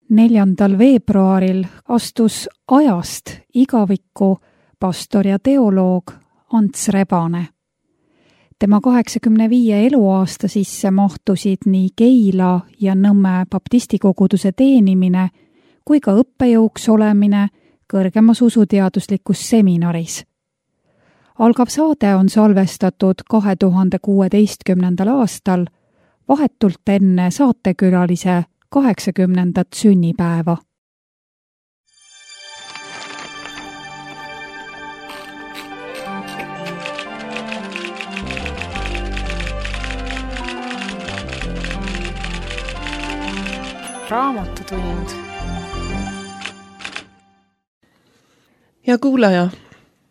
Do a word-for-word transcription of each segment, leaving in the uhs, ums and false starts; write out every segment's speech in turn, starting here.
neljandal veebruaril astus ajast igavikku pastor ja teoloog Ants Rebane. Tema kaheksakümne viie eluaasta sisse mahtusid nii Keila ja Nõmme baptistikoguduse teenimine kui ka õppejõuks olemine kõrgemas usuteaduslikus seminaris. Algav saade on salvestatud kahe tuhande kuueteistkümnendal aastal vahetult enne saatekülalise kaheksakümnendat sünnipäeva. Raamatutund. Ja kuulaja,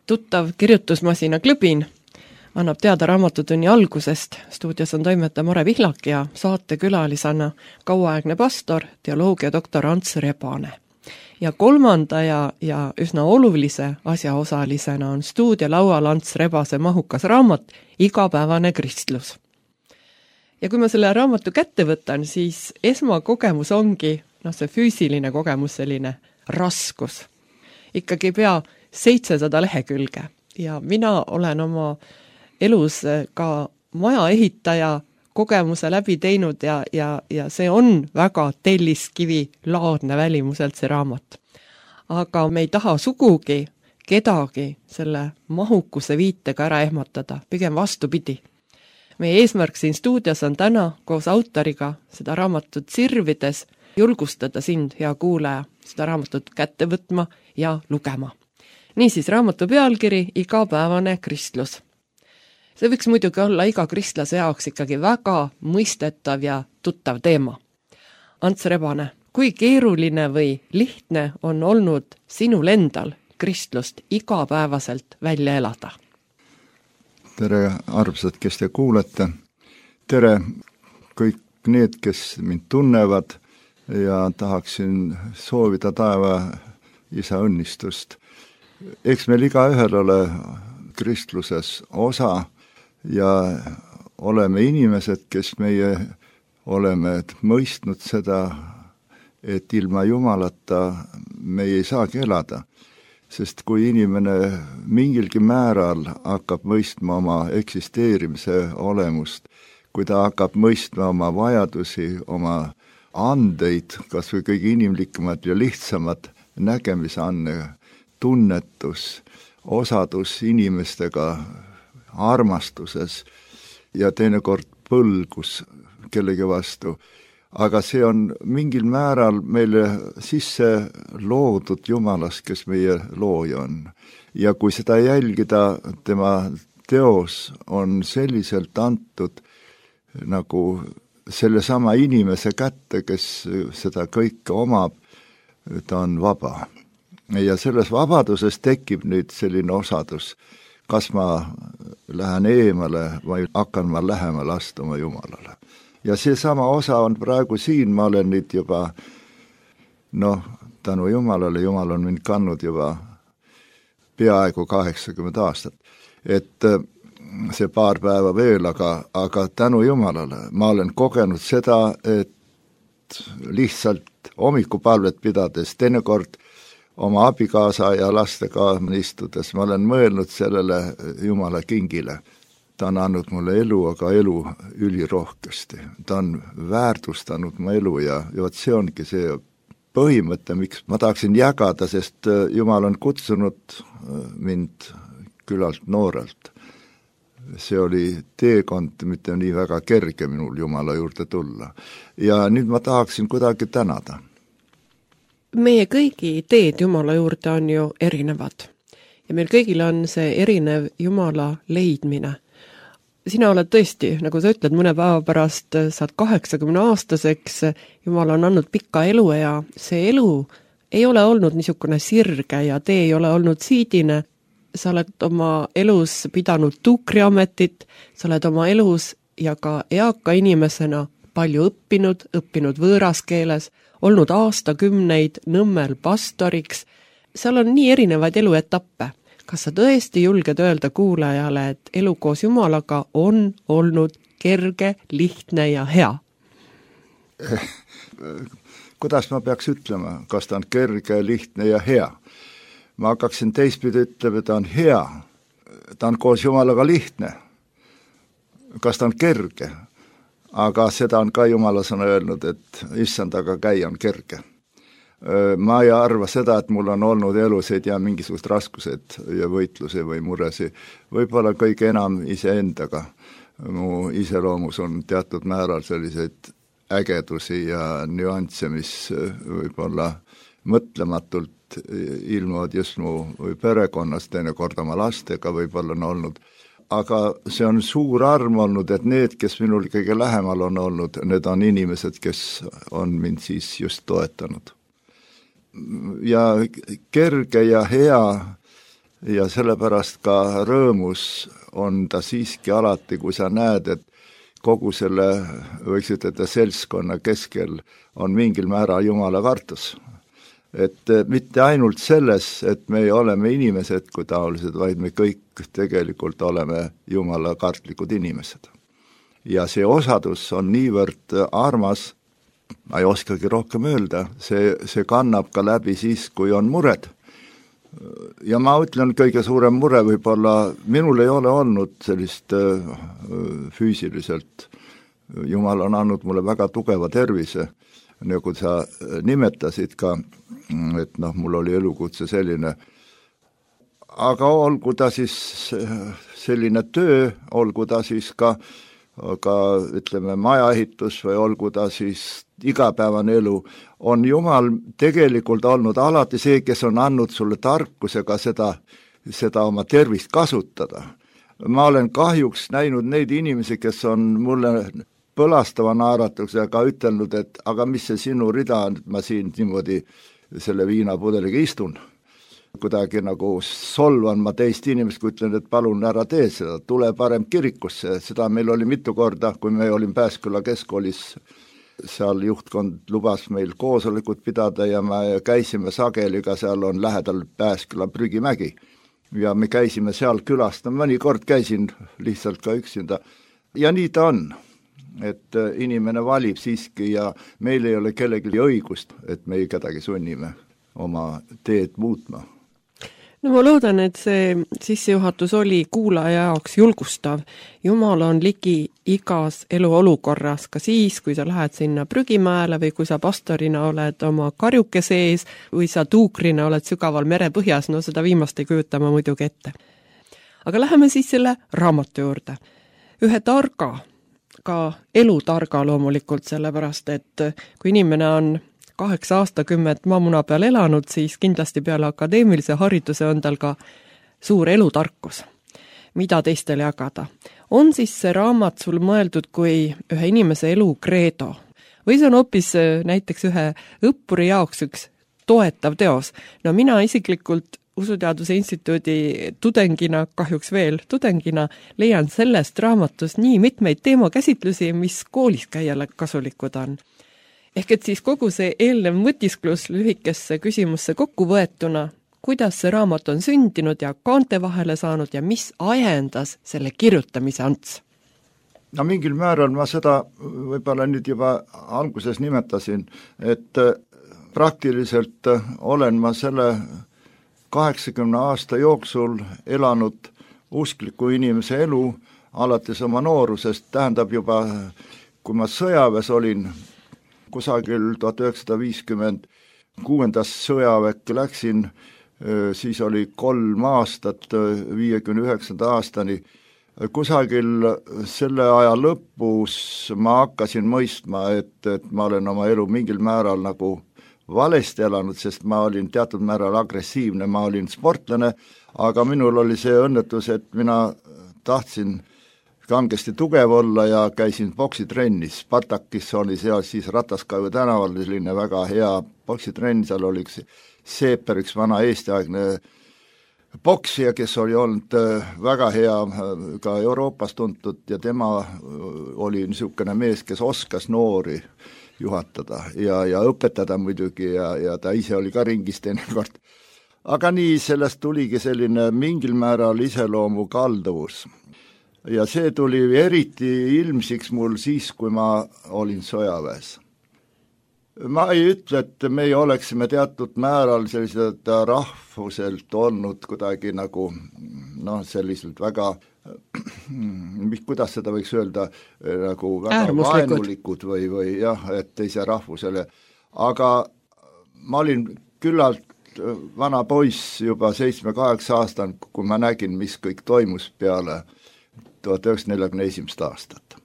tuttav kirjutusmasina Klõbin annab teada Raamatutunni algusest. Stuudios on toimetaja Mare Vihlak ja saatekülalisena kauaaegne pastor, teoloogia doktor Ants Rebane. Ja kolmanda ja, ja üsna olulise asjaosalisena on stuudiolaual Ants Rebase mahukas raamat Igapäevane kristlus. Ja kui ma selle raamatu kätte võtan, siis esmakogemus ongi no, see füüsiline kogemus, selline raskus. Ikkagi pea seitsesada lehekülge ja mina olen oma elus ka maja ehitaja kogemuse läbi teinud ja, ja, ja see on väga telliskivi laadne välimuselt see raamat. Aga me ei taha sugugi kedagi selle mahukuse viitega ära ehmatada, pigem vastupidi. Meie eesmärk siin stuudios on täna koos autoriga seda raamatut sirvides julgustada sind, hea kuulaja, seda raamatut kätte võtma ja lugema. Niisiis, raamatu pealkiri Igapäevane kristlus. See võiks muidugi olla iga kristlase jaoks ikkagi väga mõistetav ja tuttav teema. Ants Rebane, kui keeruline või lihtne on olnud sinul endal kristlust igapäevaselt välja elada? Tere, armsad, kes te kuulete. Tere kõik need, kes mind tunnevad ja tahaksin soovida taeva isa õnnistust. Eks meil iga ühel ole kristluses osa ja oleme inimesed, kes meie oleme mõistnud seda, et ilma Jumalata me ei saagi elada. Sest kui inimene mingilgi määral hakkab mõistma oma eksisteerimise olemust, kui ta hakkab mõistma oma vajadusi, oma andeid, kas või kõige inimlikumad ja lihtsamad nägemisanne, tunnetus, osadus inimestega armastuses ja teinekord põlgus kellegi vastu. Aga see on mingil määral meile sisse loodud Jumalas, kes meie looja on. Ja kui seda jälgida, tema teos on selliselt antud nagu selle sama inimese kätte, kes seda kõike omab, ta on vaba. Ja selles vabaduses tekib nüüd selline osadus, kas ma lähen eemale või hakkan ma lähemale astuma Jumalale. Ja see sama osa on praegu siin, ma olen nüüd juba, noh, tänu Jumalale, Jumal on mind kandnud juba peaaegu kaheksakümmend aastat. Et see paar päeva veel, aga, aga tänu Jumalale ma olen kogenud seda, et lihtsalt hommikupalvet pidades, teinekord oma abikaasa ja lastega istudes, ma olen mõelnud sellele Jumala kingile. Ta on andnud mulle elu, aga elu ülirohkesti. Ta on väärtustanud mu elu ja, ja see ongi see põhimõte, miks ma tahaksin jagada, sest Jumal on kutsunud mind küllalt noorelt. See oli teekond, mitte nii väga kerge minul Jumala juurde tulla. Ja nüüd ma tahaksin kuidagi tänada. Meie kõigi teed Jumala juurde on ju erinevad. Ja meil kõigil on see erinev Jumala leidmine. Sina oled tõesti, nagu sa ütled, mõne päeva pärast saad kaheksakümne aastaseks, Jumal on andnud pikka elu ja see elu ei ole olnud niisugune sirge ja tee ei ole olnud siidine. Sa oled oma elus pidanud tuukriametit, sa oled oma elus ja ka eaka inimesena palju õppinud, õppinud võõras keeles, olnud aastakümneid Nõmmel pastoriks. Seal on nii erinevaid eluetappe. Kas sa tõesti julged öelda kuulajale, et elu koos Jumalaga on olnud kerge, lihtne ja hea? kuidas ma peaks ütlema, kas ta on kerge, lihtne ja hea. Ma hakkaksin teistpidi ütlema, ta on hea, ta on koos Jumalaga lihtne. Kas ta on kerge? Aga seda on ka Jumala sõna öelnud, et issandaga käia on kerge. Ma ei arva seda, et mul on olnud elusid ja mingisugust raskused ja võitlusi või muresi. Võib-olla kõige enam iseendaga. Mu iseloomus on teatud määral selliseid ägedusi ja nüansse, mis võib-olla mõtlematult ilmuvad just mu perekonnas, teinekord oma lastega võib-olla on olnud. Aga see on suur arm olnud, et need, kes minul kõige lähemal on olnud, need on inimesed, kes on mind siis just toetanud. Ja kerge ja hea ja sellepärast ka rõõmus on ta siiski alati, kui sa näed, et kogu selle, võiks ütelda, seltskonna keskel on mingil määral Jumala kartus. Et mitte ainult selles, et me oleme inimesed kui taolised, vaid me kõik tegelikult oleme Jumala kartlikud inimesed. Ja see osadus on niivõrd armas, ma ei oskagi rohkem öelda, see, see kannab ka läbi siis, kui on mured. Ja ma ütlen, kõige suurem mure võib-olla, minul ei ole olnud sellist füüsiliselt. Jumal on andnud mulle väga tugeva tervise, nagu sa nimetasid ka, et noh, mul oli elukutse selline. Aga olgu ta siis selline töö, olgu ta siis ka, ka ütleme, majaehitus või olgu ta siis igapäevane elu, on Jumal tegelikult olnud alati see, kes on andnud sulle tarkusega seda, seda oma tervist kasutada. Ma olen kahjuks näinud neid inimesi, kes on mulle põlastava naeratusega ütelnud, et aga mis see sinu rida on, et ma siin niimoodi selle viinapudeliga istun. Kuidagi nagu solvan ma teist inimest, kui ütlen, et palun ära tee seda, tule parem kirikusse. Seda meil oli mitu korda, kui me olin Pääsküla keskkoolis, seal juhtkond lubas meil koosolekud pidada ja me käisime sageli, ka seal on lähedal Pääsküla prügimägi. Ja me käisime seal külast, mõni kord käisin lihtsalt ka üksinda. Ja nii ta on. Et inimene valib siiski ja meil ei ole kellegi õigust, et me ei kedagi sunnime oma teed muutma. No ma loodan, et see sissejuhatus oli kuulaja jaoks julgustav. Jumal on ligi igas eluolukorras, ka siis, kui sa lähed sinna prügimäele või kui sa pastorina oled oma karjuke sees või sa tuukrina oled sügaval merepõhjas, no seda viimast ei kujuta ma muidugi ette. Aga läheme siis selle raamatu juurde. Ühe targa, ka elutarga loomulikult, sellepärast, et kui inimene on kaheksa aastakümmet maamuna peal elanud, siis kindlasti peale akadeemilise hariduse on tal ka suur elutarkus, mida teistele jagada. On siis see raamat sul mõeldud kui ühe inimese elu kreedo või see on hoopis näiteks ühe õppuri jaoks üks toetav teos? No mina isiklikult Usuteaduse instituudi tudengina, kahjuks veel tudengina, leian sellest raamatus nii mitmeid teemakäsitlusi, mis koolis käijale kasulikud on. Ehk et siis kogu see eelnev mõtisklus lühikesse küsimusse kokku võetuna, kuidas see raamat on sündinud ja kaante vahele saanud ja mis ajendas selle kirjutamise Ants? No mingil määral ma seda võib-olla nüüd juba alguses nimetasin, et praktiliselt olen ma selle kaheksakümne aasta jooksul elanud uskliku inimese elu alates oma noorusest, tähendab juba, kui ma sõjaväes olin, kusagil tuhat üheksasada viiskümmend kuuendas sõjaväkke läksin, siis oli kolm aastat, viiekümne üheksanda aastani, kusagil selle aja lõpus ma hakkasin mõistma, et, et ma olen oma elu mingil määral nagu valesti elanud, sest ma olin teatud määral agressiivne, ma olin sportlane, aga minul oli see õnnetus, et mina tahtsin kangesti tugev olla ja käisin poksitrennis. Spartakis oli seal siis Rataskaiu tänaval, selline väga hea poksitrenn, seal oli üks Seeper, üks vana eestiaegne poksija, kes oli olnud väga hea ka Euroopas tuntud ja tema oli niisugune mees, kes oskas noori juhatada ja, ja õpetada muidugi ja, ja ta ise oli ka ringis teinekord. Aga nii sellest tuligi selline mingil määral iseloomu kalduvus. Ja see tuli eriti ilmsiks mul siis, kui ma olin sõjaväes. ma ei ütle, et meie oleksime teatud määral sellised rahvuselt olnud kuidagi nagu noh, selliselt väga kuidas seda võiks öelda, nagu väga vaenulikud või, või jah, et teise rahvusele. Aga ma olin küllalt vana poiss juba seitsme-kaheksa aastane, kui ma nägin, mis kõik toimus peale tuhat üheksasada nelikümmend esimest aastat.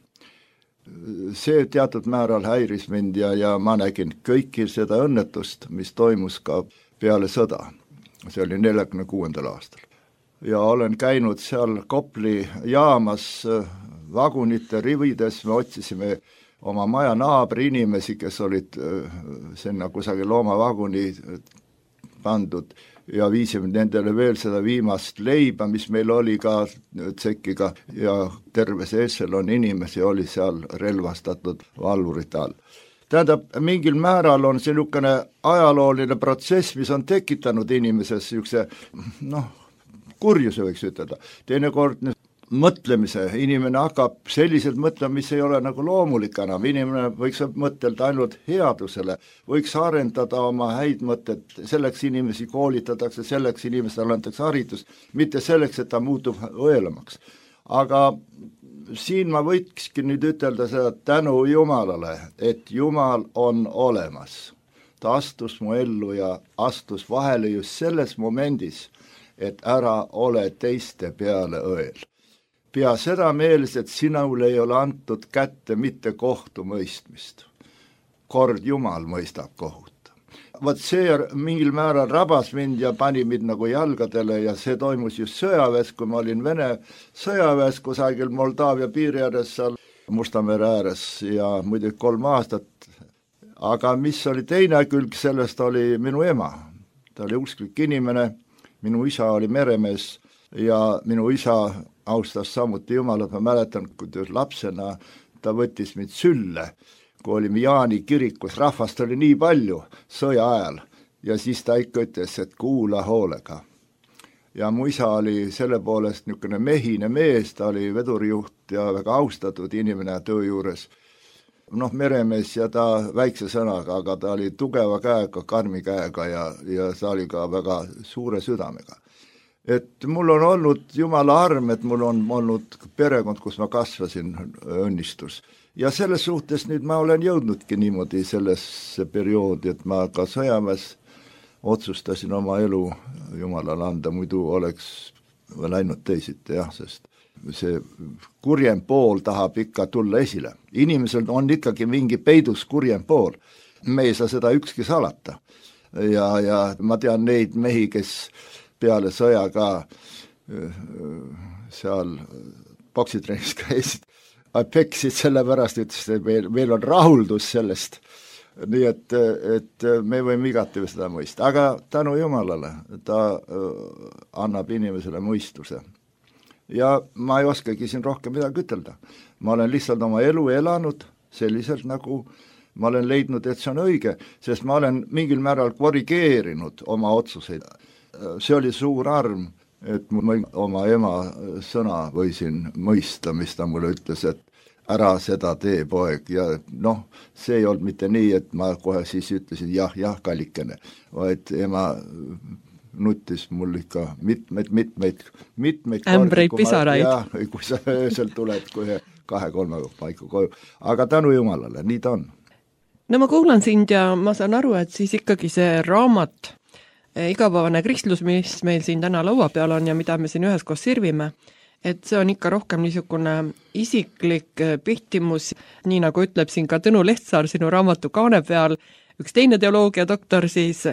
See teatud määral häiris mind ja, ja ma nägin kõiki seda õnnetust, mis toimus ka peale sõda. See oli neljakümne kuuendal aastal. Ja olen käinud seal Kopli jaamas vagunite rivides, me otsisime oma maja naabri inimesi, kes olid sinna kusagil loomavaguni pandud ja viisime nendele veel seda viimast leiba, mis meil oli ka tsekkiga ja terves Esselon inimesi oli seal relvastatud valvurite all. Tähendab, mingil määral on see niisugune ajalooline protsess, mis on tekitanud inimeses niisuguse noh, kurjuse võiks ütelda. Teinekord mõtlemise, inimene hakkab selliselt mõtlema, mis ei ole nagu loomulik enam, inimene võiks mõtelda ainult headusele, võiks arendada oma häid mõtted, selleks inimesi koolitatakse, selleks inimestele antakse haridus, mitte selleks, et ta muutub õelamaks. Aga siin ma võikski nüüd ütelda seda tänu Jumalale, et Jumal on olemas. Ta astus mu ellu ja astus vahele just selles momendis, et ära ole teiste peale õel. Pea seda meeles, et sinule ei ole antud kätte mitte kohtu mõistmist. Kord Jumal mõistab kohut. Vaat see mingil määral rabas mind ja pani mind nagu jalgadele ja see toimus just sõjaväes, kui ma olin Vene sõjaväes kusagil Moldaavia piiri ääres seal Mustamere ääres ja muidugi kolm aastat. Aga mis oli teine külg sellest oli minu ema. Ta oli usklik inimene, minu isa oli meremees ja minu isa austas samuti Jumalat, ma mäletan, kui lapsena ta võttis mind sülle, kui olime Jaani kirikus, rahvast oli nii palju sõja ajal ja siis ta ikka ütles, et kuula hoolega. Ja mu isa oli selle poolest niisugune mehine mees, ta oli vedurijuht ja väga austatud inimene töö juures. Noh, meremees ja ta väikse sõnaga, aga ta oli tugeva käega, karmi käega ja, ja ta oli ka väga suure südamega. Et mul on olnud Jumala arm, et mul on olnud perekond, kus ma kasvasin, õnnistus. Ja selles suhtes nüüd ma olen jõudnudki niimoodi sellesse perioodi, et ma ka sõjaväes otsustasin oma elu Jumalale anda, muidu oleks läinud teisiti, jah, sest see kurjem pool tahab ikka tulla esile. Inimesel on ikkagi mingi peidus kurjem pool. Me ei saa seda ükski salata. Ja, ja ma tean neid mehi, kes peale sõja ka seal poksitrennis käisid, peksid selle pärast, ütles, et meil, meil on rahuldus sellest. Nii et, et me võime igati seda mõista. Aga tänu Jumalale ta annab inimesele mõistuse. Ja ma ei oskagi siin rohkem midagi ütelda. Ma olen lihtsalt oma elu elanud selliselt, nagu ma olen leidnud, et see on õige, sest ma olen mingil määral korrigeerinud oma otsuseid. See oli suur arm, et ma oma ema sõna võisin mõista, mis ta mulle ütles, et ära seda tee, poeg, ja noh, see ei olnud mitte nii, et ma kohe siis ütlesin jah, jah, kallikene, vaid ema nuttis mul ikka mitmeid, mitmeid, mitmeid ämbreid pisaraid. Ja, kui sa öösel tuled kohe kahe-kolme paiku koju. Aga tänu Jumalale, nii ta on. No ma kuulan sind ja ma saan aru, et siis ikkagi see raamat igapäevane kristlus, mis meil siin täna laua peal on ja mida me siin üheskoos sirvime, et see on ikka rohkem niisugune isiklik pihtimus, nii nagu ütleb siin ka Tõnu Lehtsaar sinu raamatu kaane peal, üks teine teoloogia doktor siis,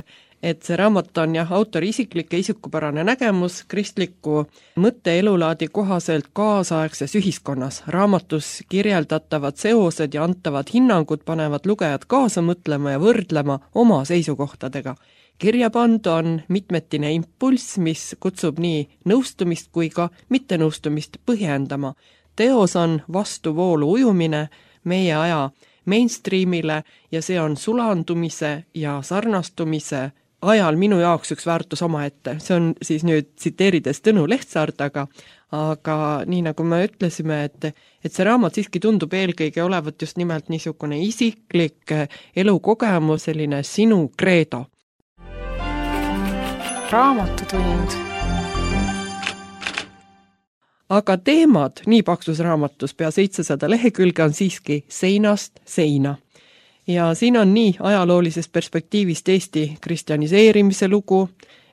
et see raamat on jah, autori isiklik ja isikupärane nägemus kristliku mõtte elulaadi kohaselt kaasaegses ühiskonnas. Raamatus kirjeldatavad seosed ja antavad hinnangud panevad lugejad kaasa mõtlema ja võrdlema oma seisukohtadega. Kirjapand on mitmetine impulss, mis kutsub nii nõustumist kui ka mittenõustumist põhjendama. Teos on vastuvoolu ujumine meie aja mainstreamile ja see on sulandumise ja sarnastumise ajal minu jaoks üks väärtus omaette. See on siis nüüd tsiteerides Tõnu Lehtsaart, aga aga nii nagu me ütlesime, et, et see raamat siiski tundub eelkõige olevat just nimelt niisugune isiklik elukogemus, selline sinu kreedo. Raamatutund. Aga teemad nii paksus raamatus pea seitsesada lehekülge on siiski seinast seina. Ja siin on nii ajaloolisest perspektiivist Eesti kristjaniseerimise lugu,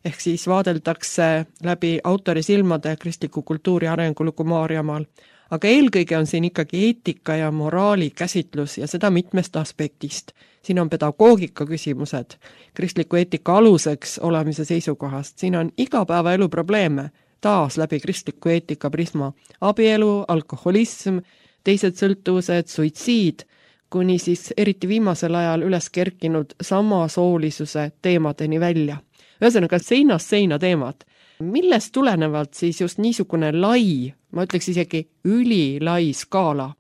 ehk siis vaadeldakse läbi autori silmade kristliku kultuuri arengulugu Maarjamaal. Aga eelkõige on siin ikkagi eetika ja moraali käsitlus ja seda mitmest aspektist. Siin on pedagoogika küsimused, kristliku eetika aluseks olemise seisukohast. Siin on igapäevaelu probleeme, taas läbi kristliku eetika prisma. Abielu, alkoholism, teised sõltuvused, suitsiid, kuni siis eriti viimasel ajal üles kerkinud samasoolisuse teemadeni välja. Ühesõnaga seinast seina teemad. Millest tulenevalt siis just niisugune lai, ma ütleks isegi ülilai skaala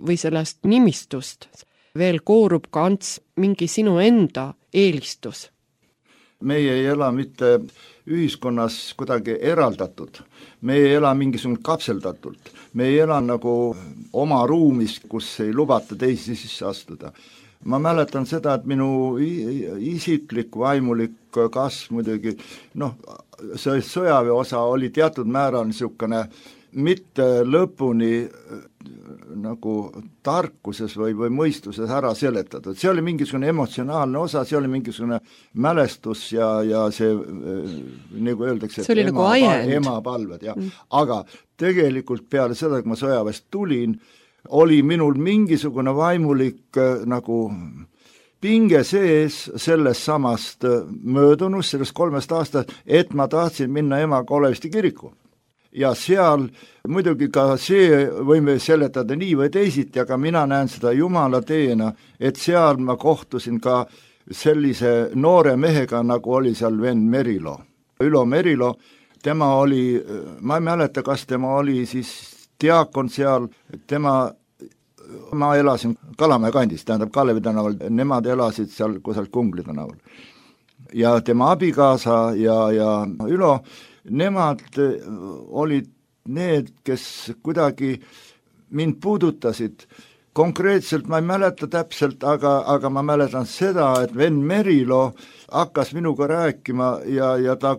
või sellest nimistust veel koorub ka Ants mingi sinu enda eelistus? Meie ei ela mitte ühiskonnas kuidagi eraldatud, me ei ela mingisugune kapseldatult, me ei ela nagu oma ruumis, kus ei lubata teisi sisse astuda. Ma mäletan seda, et minu isiklik vaimulik kasv muidugi, noh, see sõjaväe osa oli teatud määral niisugune mitte lõpuni nagu tarkuses või, või mõistuses ära seletatud. See oli mingisugune emotsionaalne osa, see oli mingisugune mälestus ja, ja see, nagu öeldakse, see oli ema, nagu ajend. Emapalved. Ja. Mm. Aga tegelikult peale seda, kui ma sõjaväest tulin, oli minul mingisugune vaimulik nagu pinge sees sellest samast möödunust, sellest kolmest aastast, et ma tahtsin minna emaga Olevisti kiriku. Ja seal muidugi ka see võime seletada nii või teisiti, aga mina näen seda Jumala teena, et seal ma kohtusin ka sellise noore mehega, nagu oli seal Venn Merilo. Ülo Merilo, tema oli, ma ei mäleta, kas tema oli siis diakon seal, tema, ma elasin Kalamäe kandis, tähendab Kalevi tänaval, nemad elasid seal kusagil Kungli tänaval. Ja tema abikaasa ja, ja Ülo, nemad olid need, kes kuidagi mind puudutasid. Konkreetselt ma ei mäleta täpselt, aga, aga ma mäletan seda, et Venn Merilo hakkas minuga rääkima ja, ja ta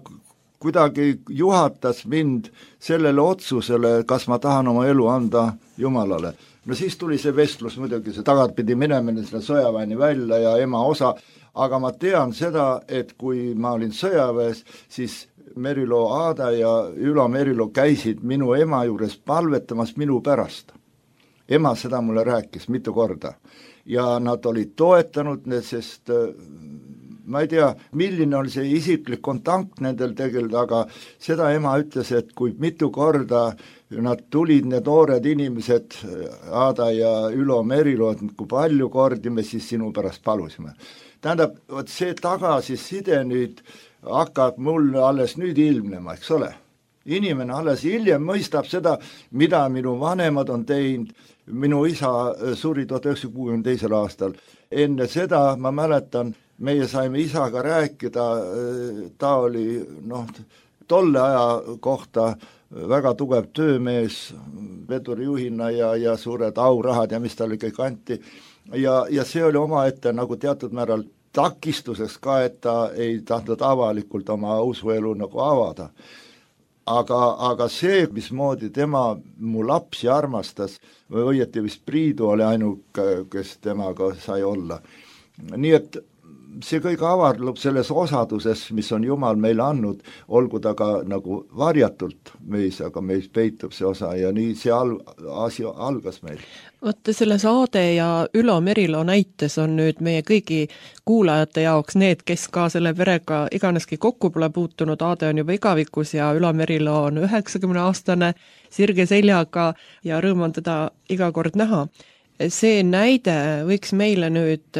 kuidagi juhatas mind sellele otsusele, kas ma tahan oma elu anda Jumalale. No siis tuli see vestlus muidugi, see tagatpidi minemine selle sõjaväeni välja ja ema osa, aga ma tean seda, et kui ma olin sõjaväes, siis Merilo Aada ja Ülo Merilo käisid minu ema juures palvetamas minu pärast. Ema seda mulle rääkis mitu korda ja nad olid toetanud, sest ma ei tea, milline oli see isiklik kontakt nendel tegelikult, aga seda ema ütles, et kui mitu korda nad tulid, need noored inimesed, Aada ja Ülo Merilo, et kui palju kordi me siis sinu pärast palusime. Tähendab, võt see tagasiside nüüd hakkab mul alles nüüd ilmnema, eks ole. Inimene alles hiljem mõistab seda, mida minu vanemad on teinud. Minu isa suri tuhat üheksasada kuuekümne teisel aastal. Enne seda ma mäletan, meie saime isaga rääkida, ta oli noh, tolle aja kohta väga tugev töömees, vedurijuhina ja, ja suured aurahad ja mis talle kõik anti. Ja, ja see oli omaette nagu teatud määral takistuseks ka, et ta ei tahtnud avalikult oma usuelu nagu avada. Aga, aga see, mismoodi tema mu lapsi armastas, või õieti vist Priidu oli ainuke, kes temaga sai olla. Nii et see kõik avardlub selles osaduses, mis on Jumal meile andnud, olgu ta ka nagu varjatult meis, aga meis peitub see osa ja nii see al- asi algas meil. Võtte selles Aade ja Ülo Merilo näites on nüüd meie kõigi kuulajate jaoks need, kes ka selle perega iganeski kokku pole puutunud. Aade on juba igavikus ja Ülo Merilo on üheksakümne aastane sirge seljaga ja rõõm on teda iga kord näha. See näide võiks meile nüüd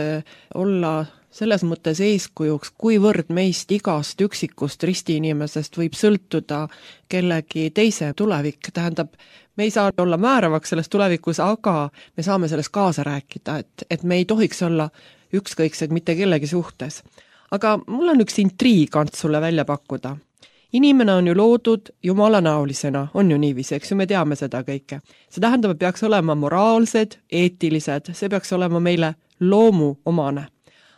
olla selles mõttes eeskujuks, kuivõrd meist igast üksikust ristiinimesest võib sõltuda kellegi teise tulevik. Tähendab, me ei saa olla määravaks selles tulevikus, aga me saame selles kaasa rääkida, et, et me ei tohiks olla ükskõiksed mitte kellegi suhtes. Aga mul on üks intriigant sulle välja pakkuda. Inimene on ju loodud jumala näolisena, on ju niiviisi, eks ju, me teame seda kõike. See tähendab, et peaks olema moraalsed, eetilised, see peaks olema meile loomu omane.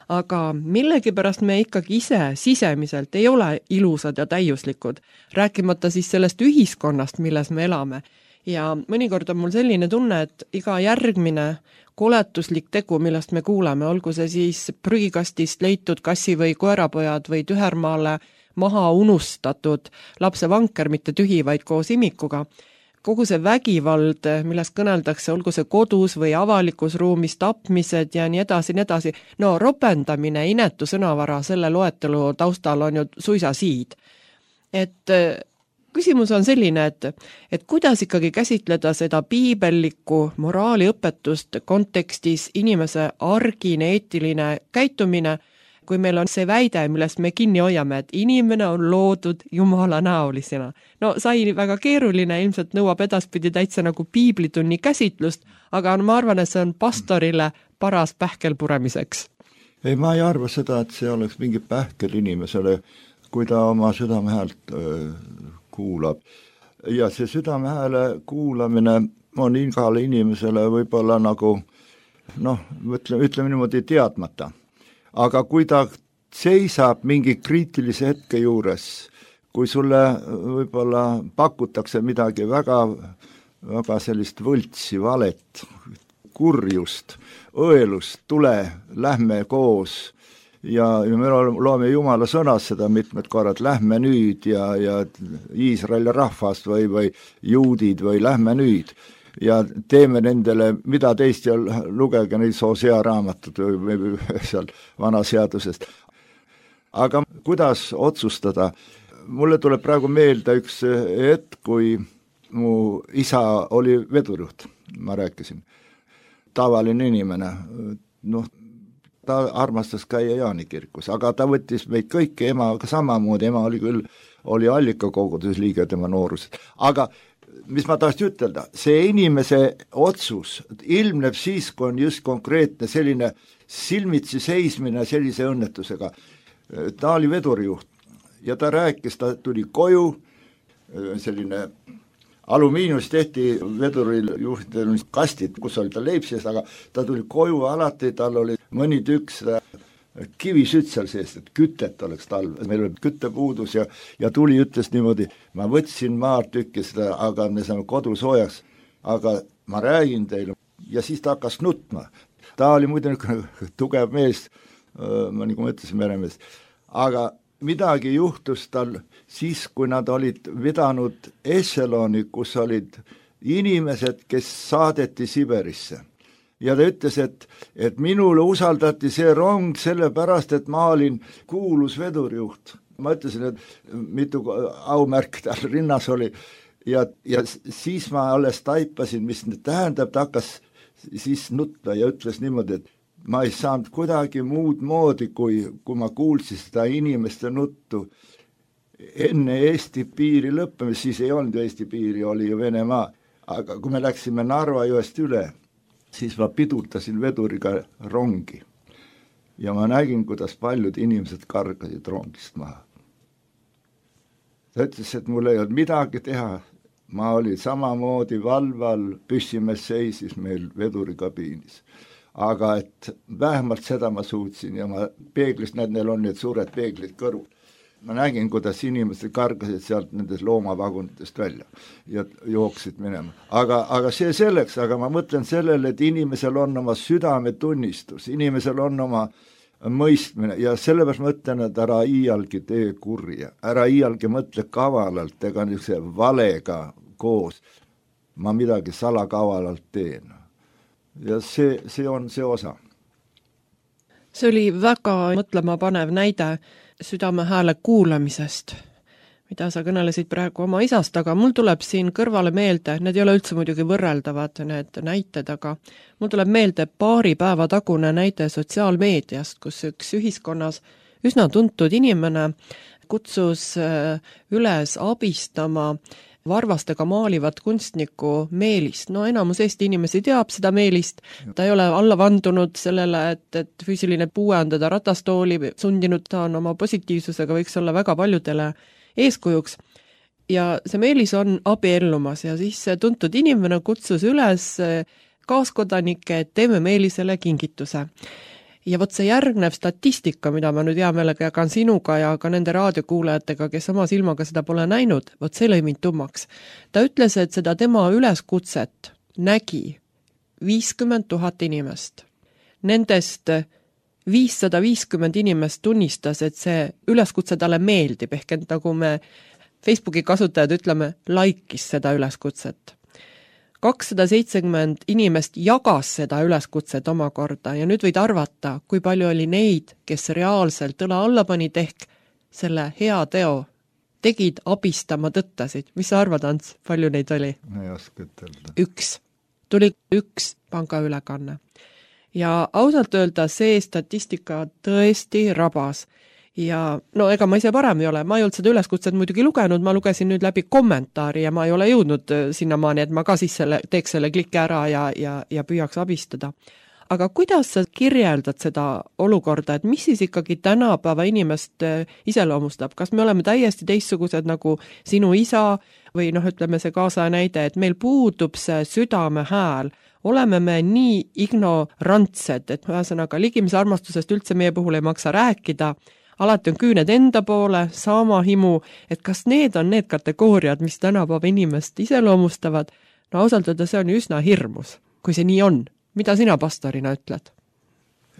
Aga millegipärast me ikkagi ise sisemiselt ei ole ilusad ja täiuslikud, rääkimata siis sellest ühiskonnast, milles me elame. Ja mõnikord on mul selline tunne, et iga järgmine koletuslik tegu, millest me kuuleme, olgu see siis prügikastist leitud kassi või koerapojad või tühermaale maha unustatud lapse vanker, mitte tühi, vaid koos imikuga. Kogu see vägivald, millest kõneldakse, olgu see kodus või avalikus ruumis, tapmised ja nii edasi, nii edasi. No ropendamine, inetu sõnavara selle loetelu taustal on ju suisa siid. Et küsimus on selline, et, et kuidas ikkagi käsitleda seda piibellikku moraaliõpetust kontekstis inimese argine, eetiline käitumine, kui meil on see väide, millest me kinni hoiame, et inimene on loodud jumala näolisena. No sai väga keeruline, ilmselt nõuab edaspidi täitsa nagu piiblitunni käsitlust, aga ma arvan, et see on pastorile paras pähkel puremiseks. Ei, ma ei arva seda, et see oleks mingi pähkel inimesele, kui ta oma südamehäält öö, kuulab. Ja see südamehääle kuulamine on igale inimesele võib-olla nagu, noh, ütleme, ütleme niimoodi teadmata. Aga kui ta seisab mingi kriitilise hetke juures, kui sulle võib-olla pakutakse midagi väga, väga sellist võltsi, valet, kurjust, õelust, tule, lähme koos ja, ja me loome Jumala sõnas seda mitmed korrad, lähme nüüd ja, ja Iisraeli rahvast või, või juudid või lähme nüüd. Ja teeme nendele, mida teist ja lugege neid Hosea raamatud või, või seal vanaseadusest. Aga kuidas otsustada? Mulle tuleb praegu meelde üks hetk, kui mu isa oli vedurjuht, ma rääkisin. Tavaline inimene, noh, ta armastas käia Jaanikirkus, aga ta võttis meid kõiki, ema samamoodi, ema oli küll, oli allikakogudusliige tema noorus. Aga mis ma tahtsin ütelda, see inimese otsus ilmneb siis, kui on just konkreetne selline silmitsi seismine sellise õnnetusega. Ta oli vedurijuht ja ta rääkis, ta tuli koju, selline alumiiniumist tehti veduril juhtidel kastid, kus oli ta leib sees, aga ta tuli koju alati, tal oli mõni tükk seda kivisütt seal sees, et kütet oleks talv. Meil oli küttepuudus ja, ja tuli ütles niimoodi, ma võtsin maartükki seda, aga me saame kodu soojaks, aga ma räägin teile. Ja siis ta hakkas nutma. Ta oli muidu tugev mees, ma nagu ma ütlesin, meremees. Aga midagi juhtus tal siis, kui nad olid vedanud Echeloni, kus olid inimesed, kes saadeti Siberisse. Ja ta ütles, et, et minule usaldati see rong sellepärast, et ma olin kuulus vedurjuht. Ma ütlesin, et mitu aumärk tal rinnas oli ja, ja siis ma alles taipasin, mis tähendab, ta hakkas siis nutta ja ütles niimoodi, et ma ei saanud kuidagi muud moodi, kui, kui ma kuulsin seda inimeste nuttu enne Eesti piiri lõppemist, siis ei olnud Eesti piiri, oli ju Venemaa. Aga kui me läksime Narva jõest üle, siis ma pidurtasin veduriga rongi ja ma nägin, kuidas paljud inimesed kargasid rongist maha. Ta ütles, et mul ei olnud midagi teha, ma olin samamoodi valval, püssimees seisis meil vedurikabiinis. Aga et vähemalt seda ma suutsin ja ma peeglist, näed, neil on need suured peeglid kõrvul. Ma nägin, kuidas inimesed kargasid sealt nendest loomavagunitest välja ja jooksid minema. Aga, aga see selleks, aga ma mõtlen sellele, et inimesel on oma südametunnistus, inimesel on oma mõistmine ja sellepärast mõtlen, et ära iialgi tee kurja, ära iialgi mõtle kavalalt, ega niisuguse valega koos, ma midagi salakavalalt teen. Ja see, see on see osa. See oli väga mõtlema panev näide südame hääle kuulamisest, mida sa kõnelesid praegu oma isast, aga mul tuleb siin kõrvale meelde, need ei ole üldse muidugi võrreldavad need näited, aga mul tuleb meelde paari päeva tagune näide sotsiaalmeediast, kus üks ühiskonnas üsna tuntud inimene kutsus üles abistama varvastega maalivat kunstniku Meelist. No enamus Eesti inimesi teab seda Meelist, ta ei ole alla vandunud sellele, et, et füüsiline puue on teda ratastooli sundinud, ta on oma positiivsusega, võiks olla väga paljudele eeskujuks. Ja see Meelis on abiellumas ja siis tuntud inimene kutsus üles kaaskodanikke, et teeme Meelisele kingituse. Ja võt see järgnev statistika, mida ma nüüd hea meelega jagan sinuga ja ka nende raadiokuulajatega, kes oma silmaga seda pole näinud, võt see lõi mind tummaks. Ta ütles, et seda tema üleskutset nägi viiskümmend tuhat inimest. Nendest viissada viiskümmend inimest tunnistas, et see üleskutse talle meeldib, ehk et nagu me Facebooki kasutajad ütleme, laikis seda üleskutset. kakssada seitsekümmend inimest jagas seda üleskutset omakorda ja nüüd võid arvata, kui palju oli neid, kes reaalselt õla alla panid ehk selle hea teo tegid, abistama tõttasid. Mis sa arvad, Ants, palju neid oli? Ei oska ütelda. Üks. Tuli üks pangaülekanne. Ja ausalt öelda see statistika tõesti rabas. Ja no ega ma ise parem ei ole, ma ei olnud seda üleskutset muidugi lugenud, ma lugesin nüüd läbi kommentaari ja ma ei ole jõudnud sinnamaani, et ma ka siis selle, teeks selle kliki ära ja, ja, ja püüaks abistada. Aga kuidas sa kirjeldad seda olukorda, et mis siis ikkagi tänapäeva inimest iseloomustab? Kas me oleme täiesti teistsugused nagu sinu isa või noh, ütleme see kaasa näide, et meil puudub see südame hääl, oleme me nii ignorantsed, et ühesõnaga ligimise armastusest üldse meie puhul ei maksa rääkida, alati on küüned enda poole, sama himu, et kas need on need kategooriad, mis tänapäeva inimest iseloomustavad? No ausalt öelda, see on üsna hirmus, kui see nii on. Mida sina pastorina ütled?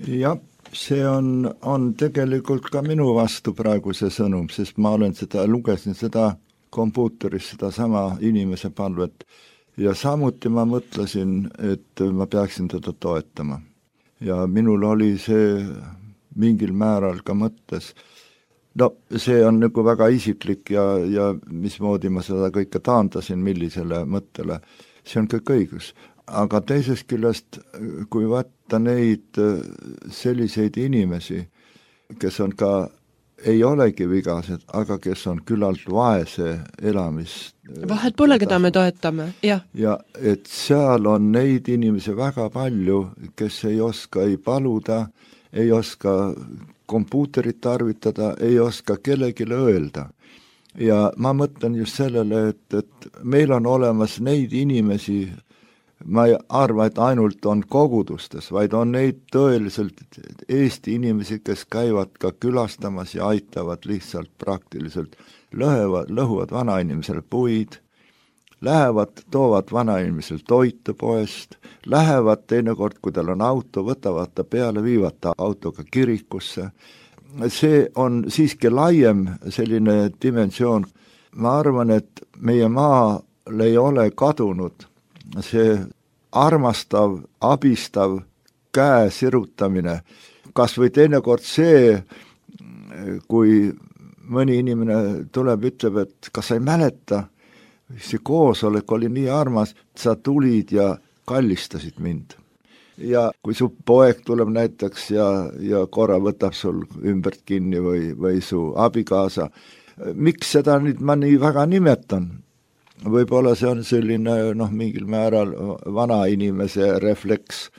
Jah, see on, on tegelikult ka minu vastu praegu see sõnum, sest ma olen seda, lugesin seda kompuuteris, seda sama inimese palvet ja samuti ma mõtlesin, et ma peaksin teda toetama. Ja minul oli see mingil määral ka mõttes. No see on nagu väga isiklik ja, ja mismoodi ma seda kõike taandasin, millisele mõttele. See on kõik õigus. Aga teisest küljest, kui vaata neid selliseid inimesi, kes on ka, ei olegi vigased, aga kes on küllalt vaese elamist. Vahet pole, keda me toetame, jah. Ja et seal on neid inimesi väga palju, kes ei oska ei paluda, ei oska kompuuterit tarvitada, ei oska kellegile öelda. Ja ma mõtlen just sellele, et, et meil on olemas neid inimesi, ma ei arva, et ainult on kogudustes, vaid on neid tõeliselt Eesti inimesi, kes käivad ka külastamas ja aitavad lihtsalt praktiliselt, lõhevad, lõhuvad vanainimesele puid, lähevad, toovad vanainimesel toitu poest, lähevad teinekord, kui tal on auto, võtavad ta peale, viivad ta autoga kirikusse. See on siiski laiem selline dimensioon. Ma arvan, et meie maal ei ole kadunud see armastav, abistav käe sirutamine. Kas või teinekord see, kui mõni inimene tuleb, ütleb, et kas sa ei mäleta, see koosolek oli nii armas, sa tulid ja kallistasid mind. Ja kui su poeg tuleb näiteks ja, ja korra võtab sul ümbert kinni või, või su abikaasa, miks seda nüüd ma nii väga nimetan? Võib-olla see on selline noh, mingil määral vana inimese refleks,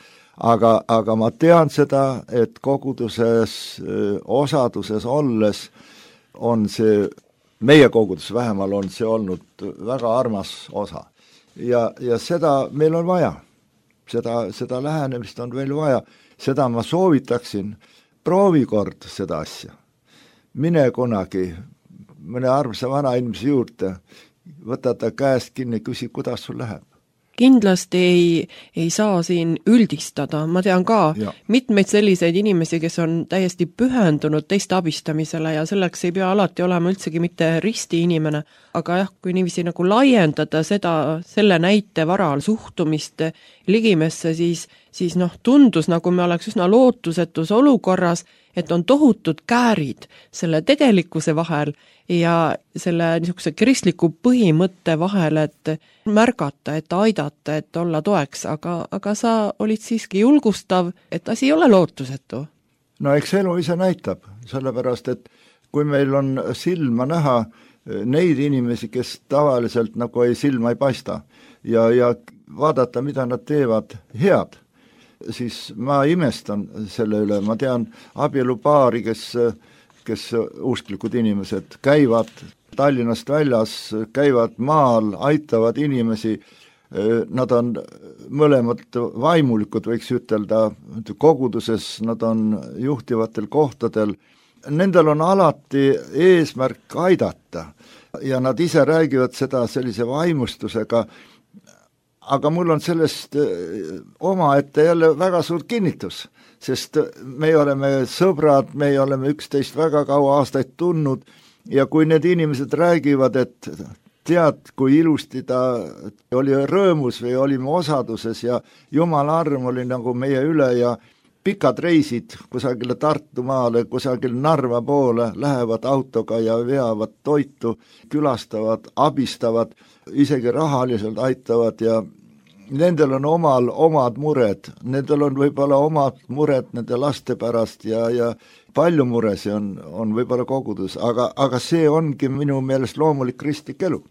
aga, aga ma tean seda, et koguduses, osaduses olles on see meie kogudus vähemal on see olnud väga armas osa. Ja, ja seda meil on vaja. Seda, seda lähenemist on veel vaja. Seda ma soovitaksin, proovi kord seda asja. Mine kunagi mõne armsa vana inimese juurde, võta ta käest kinni, küsi, kuidas sul läheb. Kindlasti ei, ei saa siin üldistada, ma tean ka ja. mitmeid selliseid inimesi, kes on täiesti pühendunud teiste abistamisele ja selleks ei pea alati olema üldsegi mitte risti inimene, aga jah, kui niiviisi nagu laiendada seda, selle näite varal suhtumist ligimesse, siis, siis noh, tundus nagu me oleks üsna lootusetus olukorras, et on tohutud käärid selle tegelikkuse vahel ja selle niisuguse kristliku põhimõtte vahel, et märgata, et aidata, et olla toeks, aga, aga sa olid siiski julgustav, et asi ei ole lootusetu. No eks elu ise näitab, sellepärast, et kui meil on silma näha, neid inimesi, kes tavaliselt nagu ei silma ei paista ja, ja vaadata, mida nad teevad head, siis ma imestan selle üle. Ma tean abielupaari, kes, kes usklikud inimesed käivad Tallinnast väljas, käivad maal, aitavad inimesi. Nad on mõlemad vaimulikud, võiks ütelda, koguduses, nad on juhtivatel kohtadel. Nendel on alati eesmärk aidata ja nad ise räägivad seda sellise vaimustusega, aga mul on sellest omaette jälle väga suur kinnitus, sest me oleme sõbrad, me oleme üksteist väga kaua aastaid tundnud ja kui need inimesed räägivad, et tead, kui ilusti ta oli rõõmus või olime osaduses ja Jumala arm oli nagu meie üle ja pikad reisid kusagile Tartumaale, kusagile Narva poole, lähevad autoga ja veavad toitu, külastavad, abistavad, isegi rahaliselt aitavad ja nendel on omal omad mured, nendel on võib-olla omad mured nende laste pärast ja, ja palju muresi on, on võib-olla kogudus, aga, aga see ongi minu meelest loomulik kristlik elu.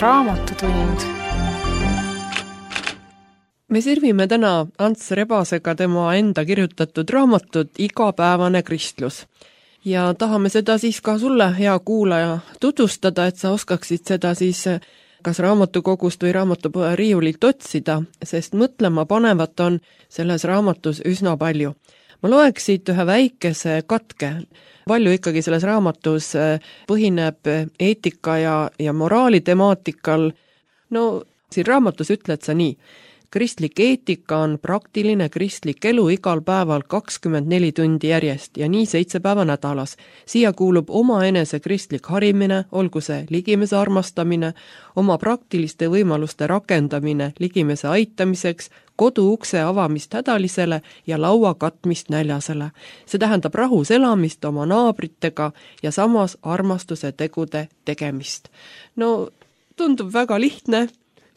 Raamatutund. Me sirvime täna Ants Rebasega tema enda kirjutatud raamatut Igapäevane kristlus. Ja tahame seda siis ka sulle, hea kuulaja, tutvustada, et sa oskaksid seda siis kas raamatukogust või raamatupoe riiulilt otsida, sest mõtlema panevat on selles raamatus üsna palju. Ma loeksid ühe väikese katke. Palju ikkagi selles raamatus põhineb eetika ja, ja moraali temaatikal. No, siin raamatus ütled sa nii. Kristlik eetika on praktiline kristlik elu igal päeval kakskümmend neli tundi järjest ja nii seitse päeva nädalas. Siia kuulub oma enese kristlik harimine, olgu see ligimese armastamine, oma praktiliste võimaluste rakendamine ligimese aitamiseks, kodu ukse avamist hädalisele ja laua katmist näljasele. See tähendab rahus elamist oma naabritega ja samas armastuse tegude tegemist. No, tundub väga lihtne,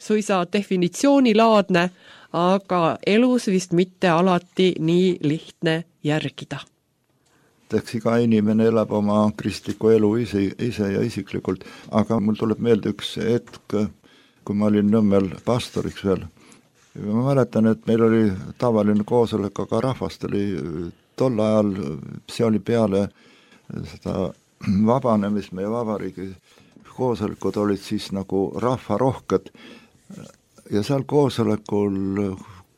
suisa definitsioonilaadne, aga elus vist mitte alati nii lihtne järgida. Eks iga inimene elab oma kristliku elu ise, ise ja isiklikult, aga mul tuleb meelde üks hetk, kui ma olin Nõmmel pastoriks veel. Ma mäletan, et meil oli tavaline koosolek, aga rahvast oli tol ajal, see oli peale seda vabanemist meie vabariigi koosolekud olid siis nagu rahvarohked ja seal koosolekul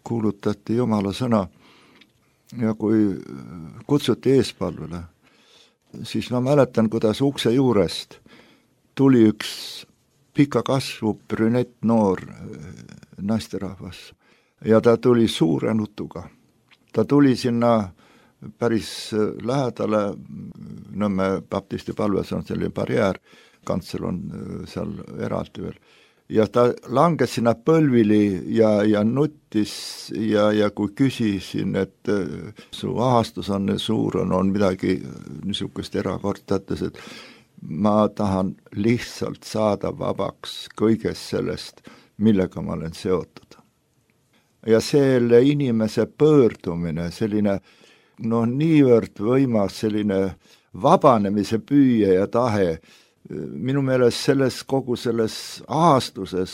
kuulutati Jumala sõna ja kui kutsuti eespalvele, siis ma mäletan, kuidas ukse juurest tuli üks pika kasvu brünett noor naisterahvas ja ta tuli suure nutuga. Ta tuli sinna päris lähedale Nõmme baptisti palves on selline barjäär, kantsel on seal eraldi veel. Ja ta langes sinna põlvili ja, ja nuttis ja, ja kui küsisin, et su ahastus on suur, on, on midagi niisugust erakordtates, et ma tahan lihtsalt saada vabaks kõigest sellest, millega ma olen seotud. Ja selle inimese pöördumine, selline no niivõrd võimas, selline vabanemise püüe ja tahe, minu meelest selles kogu selles aastuses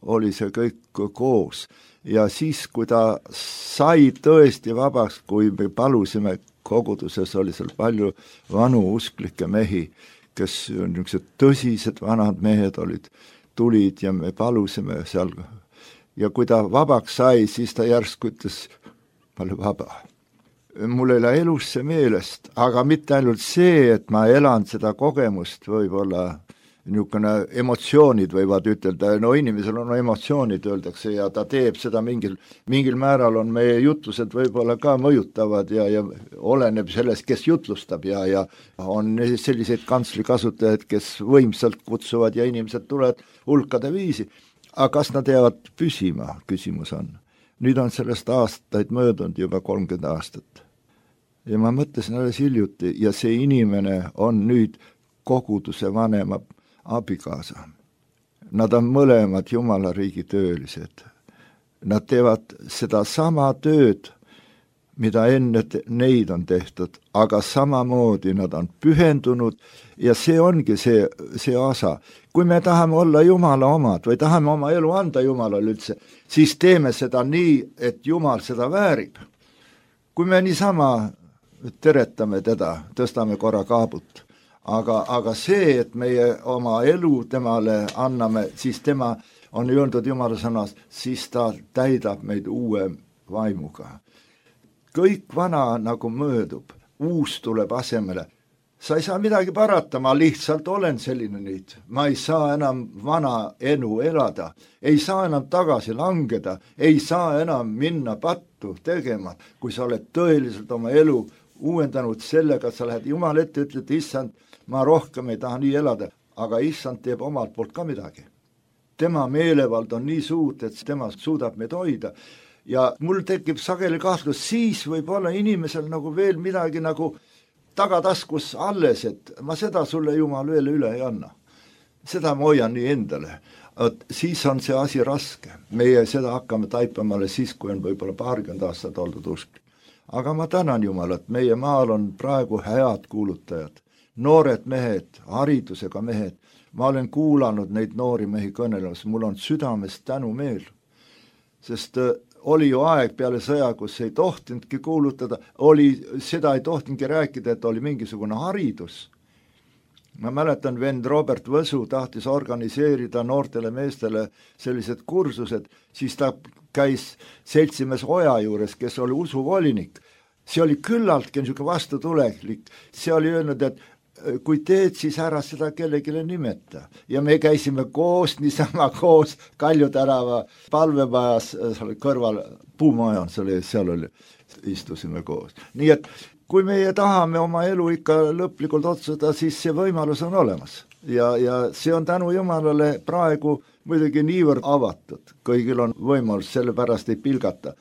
oli see kõik koos. Ja siis, kui ta sai tõesti vabaks, kui me palusime koguduses, oli seal palju vanu usklikke mehi, kes niisugused tõsised vanad mehed olid, tulid ja me palusime seal. Ja kui ta vabaks sai, siis ta järsku ütles, ma olen vaba. Mul ei ole elus see meelest, aga mitte ainult see, et ma elan seda kogemust, võib-olla niisugune emotsioonid võivad ütelda, no inimesel on emotsioonid, öeldakse, ja ta teeb seda mingil, mingil määral on meie jutlused võib-olla ka mõjutavad ja, ja oleneb sellest, kes jutlustab ja, ja on selliseid kantsli kasutajaid, kes võimsalt kutsuvad ja inimesed tulevad hulkade viisi. Aga kas nad jäävad püsima, küsimus on. Nüüd on sellest aastaid möödunud juba kolmkümmend aastat. Ja ma mõtlesin alles hiljuti ja see inimene on nüüd koguduse vanema abikaasa. Nad on mõlemad Jumala riigi töölised. Nad teevad seda sama tööd, mida enne neid on tehtud, aga samamoodi nad on pühendunud ja see ongi see, see osa. Kui me tahame olla Jumala omad või tahame oma elu anda Jumalale üldse, siis teeme seda nii, et Jumal seda väärib. Kui me niisama teretame teda, tõstame korra kaabut, aga, aga see, et meie oma elu temale anname, siis tema on öeldud Jumala sõnas, siis ta täidab meid uue vaimuga. Kõik vana nagu möödub, uus tuleb asemele. Sa ei saa midagi parata, ma lihtsalt olen selline nüüd. Ma ei saa enam vana elu elada, ei saa enam tagasi langeda, ei saa enam minna pattu tegema, kui sa oled tõeliselt oma elu uuendanud sellega, sa lähed Jumal ette, ütled, issand, ma rohkem ei taha nii elada, aga issand teeb omalt poolt ka midagi. Tema meelevald on nii suurt, et tema suudab meid hoida. Ja mul tekib sageli kahtlus, siis võib olla inimesel nagu veel midagi nagu tagataskus alles, et ma seda sulle Jumal veel üle ei anna. Seda ma hoian nii endale. Et siis on see asi raske. Meie seda hakkame taipamale siis, kui on võib-olla paarkümmend aastat oldud usk. Aga ma tänan Jumalat, meie maal on praegu head kuulutajad, noored mehed, haridusega mehed. Ma olen kuulanud neid noori mehi kõnelemas, mul on südames tänumeel, sest oli ju aeg peale sõja, kus ei tohtinudki kuulutada, oli, seda ei tohtinudki rääkida, et oli mingisugune haridus. Ma mäletan, vend Robert Võsu tahtis organiseerida noortele meestele sellised kursused, siis ta käis seltsimees Oja juures, kes oli usuvolinik. See oli küllaltki niisugune vastutuleklik. See oli öelnud, et kui teed, siis ära seda kellegile nimeta. Ja me käisime koos, niisama koos Kalju tänava palvemajas, kõrval puumaja on, seal oli, istusime koos. Nii et kui meie tahame oma elu ikka lõplikult otsustada, siis see võimalus on olemas. Ja, ja see on tänu Jumalale praegu muidugi niivõrd avatud. Kõigil on võimalus, selle pärast ei pilgata.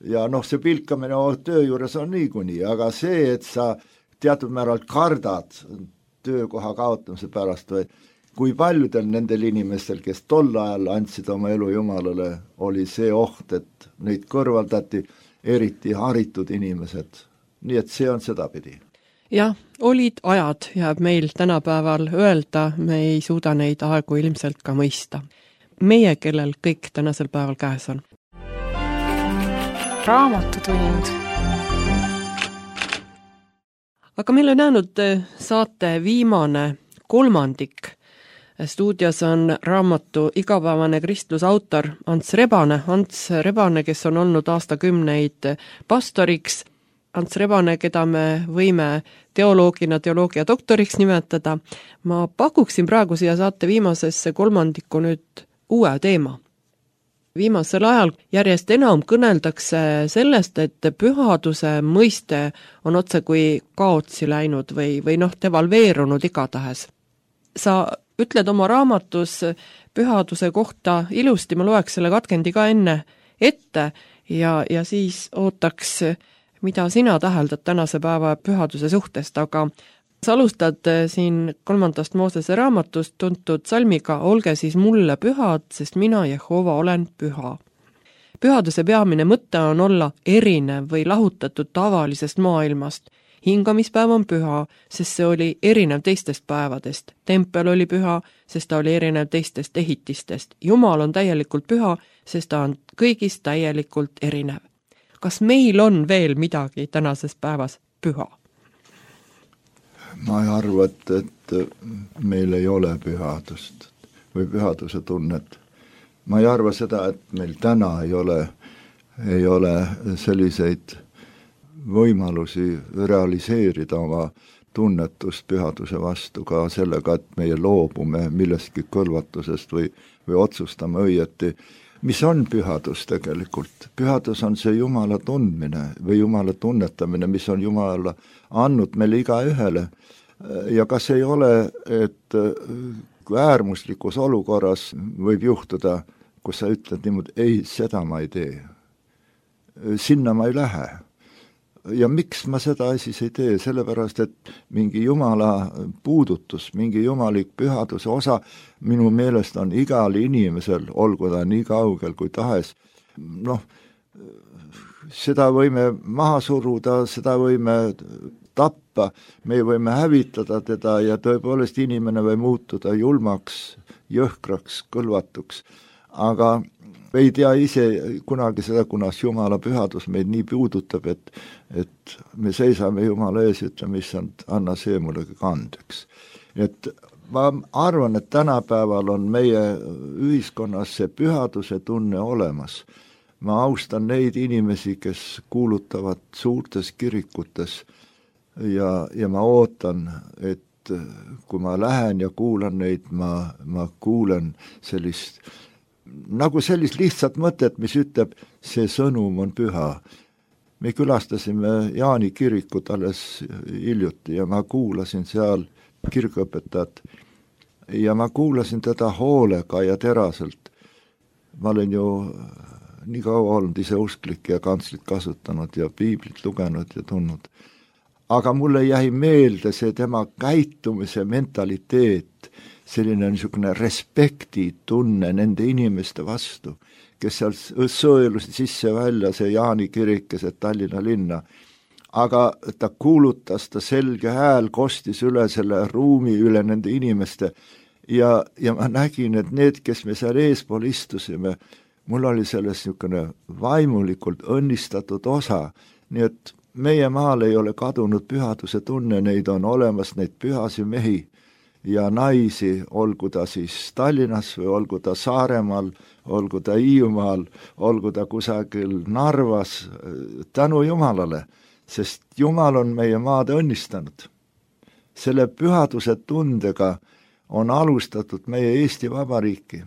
Ja noh, see pilkamine töö juures on niikuinii, aga see, et sa teatud määral kardad töökoha kaotamise pärast või kui paljudel nendel inimestel, kes tol ajal andsid oma elu Jumalale, oli see oht, et neid kõrvaldati, eriti haritud inimesed. Nii et see on sedapidi. Jah, olid ajad, jääb meil tänapäeval öelda, me ei suuda neid aegu ilmselt ka mõista. Meie, kellel kõik tänasel päeval käes on. Raamatutund. Aga meil on jäänud saate viimane kolmandik. Stuudios on raamatu Igapäevane kristlus autor Ants Rebane. Ants Rebane, kes on olnud aastakümneid pastoriks. Ants Rebane, keda me võime teoloogina teoloogia doktoriks nimetada. Ma pakuksin praegu siia saate viimasesse kolmandikku nüüd uue teema. Viimasel ajal järjest enam kõneldakse sellest, et pühaduse mõiste on otse kui kaotsi läinud või, või noh, devalveerunud igatahes. Sa ütled oma raamatus pühaduse kohta ilusti, ma loeks selle katkendi ka enne ette ja, ja siis ootaks, mida sina täheldad tänase päeva pühaduse suhtest, aga sa alustad siin kolmandast Moosese raamatust tuntud salmiga Olge siis mulle pühad, sest mina, Jehova, olen püha. Pühaduse peamine mõte on olla erinev või lahutatud tavalisest maailmast. Hingamispäev on püha, sest see oli erinev teistest päevadest. Tempel oli püha, sest ta oli erinev teistest ehitistest. Jumal on täielikult püha, sest ta on kõigist täielikult erinev. Kas meil on veel midagi tänases päevas püha? Ma ei arva, et, et meil ei ole pühadust või pühaduse tunnet. Ma ei arva seda, et meil täna ei ole, ei ole selliseid võimalusi realiseerida oma tunnetust pühaduse vastu ka sellega, et meie loobume millestki kõlvatusest või, või otsustame õieti. Mis on pühadus tegelikult? Pühadus on see Jumala tundmine või Jumala tunnetamine, mis on Jumala andnud meile iga ühele. Ja kas ei ole, et äärmuslikus olukorras võib juhtuda, kus sa ütled niimoodi, ei, seda ma ei tee. Sinna ma ei lähe. Ja miks ma seda siis ei tee? Sellepärast, et mingi Jumala puudutus, mingi jumalik pühaduse osa minu meelest on igal inimesel, olgu ta nii kaugel kui tahes. Noh, seda võime maha suruda, seda võime tappa, me võime hävitada teda ja tõepoolest inimene või muutuda julmaks, jõhkraks, kõlvatuks. Aga ei tea ise kunagi seda, kunas Jumala pühadus meid nii puudutab, et, et me seisame Jumala ees ja ütleme, issand, anna see mulle kandeks. Et ma arvan, et tänapäeval on meie ühiskonnas see pühaduse tunne olemas. Ma austan neid inimesi, kes kuulutavad suurtes kirikutes ja, ja ma ootan, et kui ma lähen ja kuulan neid, ma, ma kuulen sellist nagu sellist lihtsat mõtet, mis ütleb, see sõnum on püha. Me külastasime Jaani kirikut alles hiljuti ja ma kuulasin seal kirikuõpetajat ja ma kuulasin teda hoolega ja teraselt. Ma olen ju nii kaua olnud ise usklik ja kantslit kasutanud ja piiblit lugenud ja tundnud. Aga mulle jäi meelde see tema käitumise mentaliteet, selline niisugune respekti tunne nende inimeste vastu, kes seal sõelusid sisse välja, see Jaani kirik, see Tallinna linna. Aga ta kuulutas, ta selge hääl kostis üle selle ruumi, üle nende inimeste ja, ja ma nägin, et need, kes me seal eespool istusime, mul oli selles niisugune vaimulikult õnnistatud osa, nii et meie maal ei ole kadunud pühaduse tunne, neid on olemas, neid pühasi mehi ja naisi, olgu ta siis Tallinnas või olgu ta Saaremaal, olgu ta Hiiumaal, olgu ta kusagil Narvas, tänu Jumalale, sest Jumal on meie maad õnnistanud. Selle pühaduse tundega on alustatud meie Eesti Vabariiki.